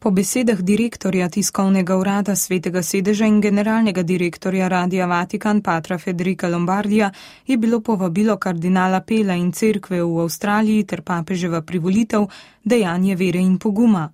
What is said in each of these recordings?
Po besedah direktorja tiskovnega urada Svetega sedeža in generalnega direktorja Radia Vatikan Patra Federica Lombardija je bilo povabilo kardinala Pela in cerkve v Avstraliji ter papeževa privolitev dejanje vere in poguma.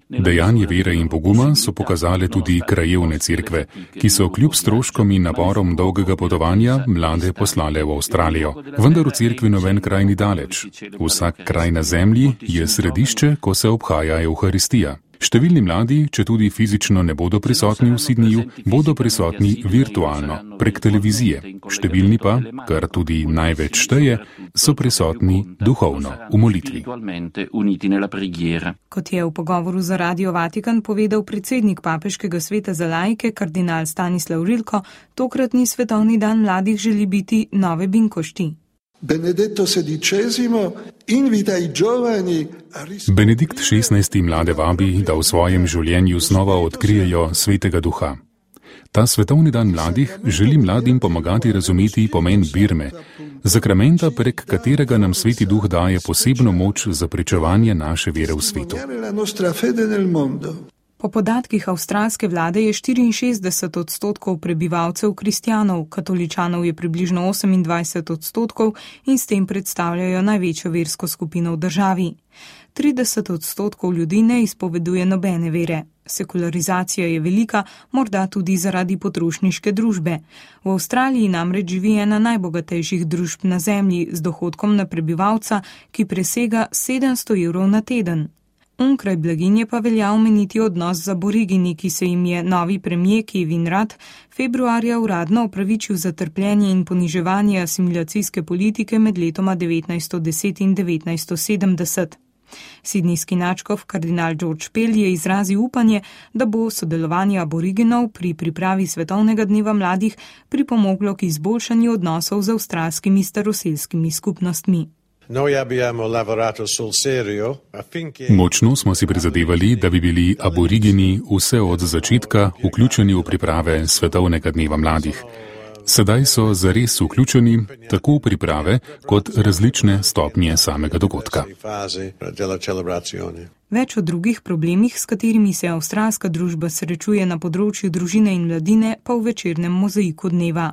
Dejanje vere in poguma so pokazale tudi krajevne cerkve, ki so kljub stroškom in naporom dolgega potovanja mlade poslale v Avstralijo. Vendar v cerkvi noben kraj ni daleč. Vsak kraj na zemlji je središče, ko se obhaja Evharistija. Številni mladi, če tudi fizično ne bodo prisotni v Sydneyju, bodo prisotni virtualno, prek televizije. Številni pa, kar tudi največ šteje, so prisotni duhovno, v molitvi. Kot je v pogovoru za Radio Vatikan povedal predsednik Papeškega sveta za laike, kardinal Stanislav Rilko, tokratni svetovni dan mladih želi biti nove binkošti. Benedikt XVI. Mlade vabi, da v svojem življenju znova odkrijejo svetega duha. Ta svetovni dan mladih želi mladim pomagati razumeti pomen birme, zakramenta, prek katerega nam sveti duh daje posebno moč za pričevanje naše vere v svetu. Po podatkih avstralske vlade je 64% prebivalcev kristjanov, katoličanov je približno 28% in s tem predstavljajo največjo versko skupino v državi. 30% ljudi ne izpoveduje nobene vere. Sekularizacija je velika, morda tudi zaradi potrošniške družbe. V Avstraliji namreč živi ena najbogatejših družb na zemlji z dohodkom na prebivalca, ki presega 700 evrov na teden. Onkraj blaginje pa velja omeniti odnos z aborigini, ki se jim je novi premijer Kevin Rudd februarja uradno opravičil za trpljenje in poniževanje asimilacijske politike med letoma 1910 in 1970. Sidnijski nadškof kardinal George Pell je izrazil upanje, da bo sodelovanje aboriginov pri pripravi svetovnega dneva mladih pripomoglo k izboljšanju odnosov z avstralskimi staroselskimi skupnostmi. Močno smo si prizadevali, da bi bili aborigini vse od začetka vključeni v priprave svetovnega dneva mladih. Sedaj so zares vključeni tako v priprave kot različne stopnje samega dogodka. Več o drugih problemih, s katerimi se avstralska družba srečuje na področju družine in mladine, pa v večernem mozaiku dneva.